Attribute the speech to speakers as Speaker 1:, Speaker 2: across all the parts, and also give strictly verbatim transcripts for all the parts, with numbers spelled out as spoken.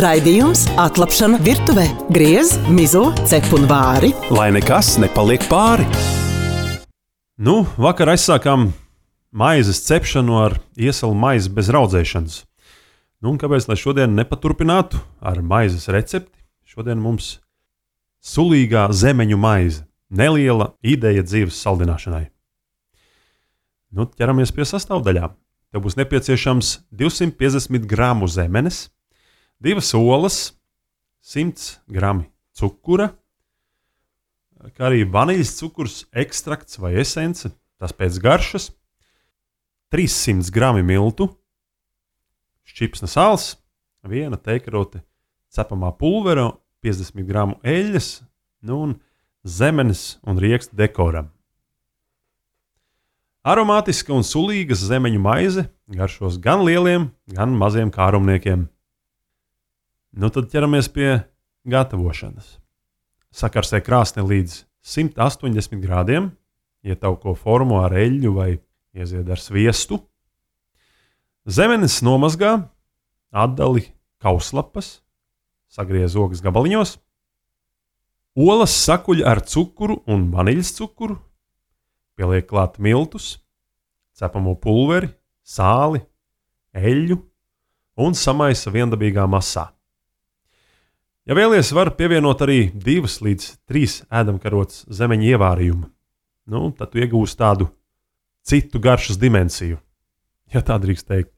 Speaker 1: Raidījums Atlapšana virtuvē. Griez, mizo, cep un vāri.
Speaker 2: Lai nekas nepaliek pāri.
Speaker 3: Nu, vakar aizsākām maizes cepšanu ar iesalu maizi bez raudzēšanas. Nu, un kāpēc, lai šodien nepaturpinātu ar maizes recepti? Šodien mums sulīgā zemeņu maize. Neliela ideja dzīves saldināšanai. Nu, ķeramies pie sastāvdaļām. Tev būs nepieciešams divsimt piecdesmit gramu zemenes, divas olas, simts grami cukura, kā arī vaniļas cukurs, ekstrakts vai esence, tas pēc garšas, trīssimt grami miltu, šķipsna sāls, viena teikarote cepamā pulvera, piecdesmit gramu eļļas, nu un zemenes un rieksta dekoram. Aromātiska un sulīga zemeņu maize garšos gan lieliem, gan maziem kārumniekiem. Nu tad ķeramies pie gatavošanas. Sakarsē krāsni līdz simt astoņdesmit grādiem, ietauko formu ar eļļu vai iezied ar sviestu. Zemenes nomazgā, atdali kauslapas, sagriez ogas gabaliņos. Olas sakuļ ar cukuru un vaniļas cukuru, pieliek klāt miltus, cepamo pulveri, sāli, eļļu un samaisa viendabīgā masā. Ja vēlies, var pievienot arī divas līdz trīs ēdamkarotes zemeņu ievārījumu. Nu, tad tu iegūsi tādu citu garšas dimensiju, ja tā drīkst teikt.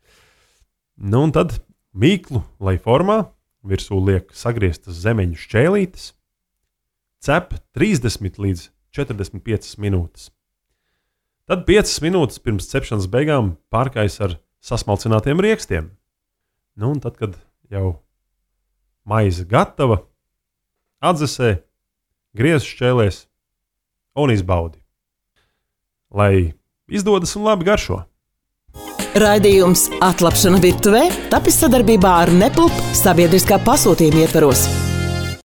Speaker 3: Nu, un tad mīklu, lai formā, virsū liek sagrieztas zemeņu šķēlītes, cep trīsdesmit līdz četrdesmit piecas minūtes. Tad piecas minūtes pirms cepšanas beigām pārkais ar sasmalcinātiem riekstiem. Nu, un tad, kad jau maize gatava, atdzesē, griez šķēlēs un izbaudi. Lai izdodas un labi garšo.
Speaker 1: Raidījums Atlapšana virtuvē tapis sadarbībā ar Nepulp sabiedriskā pasūtījuma ietvaros.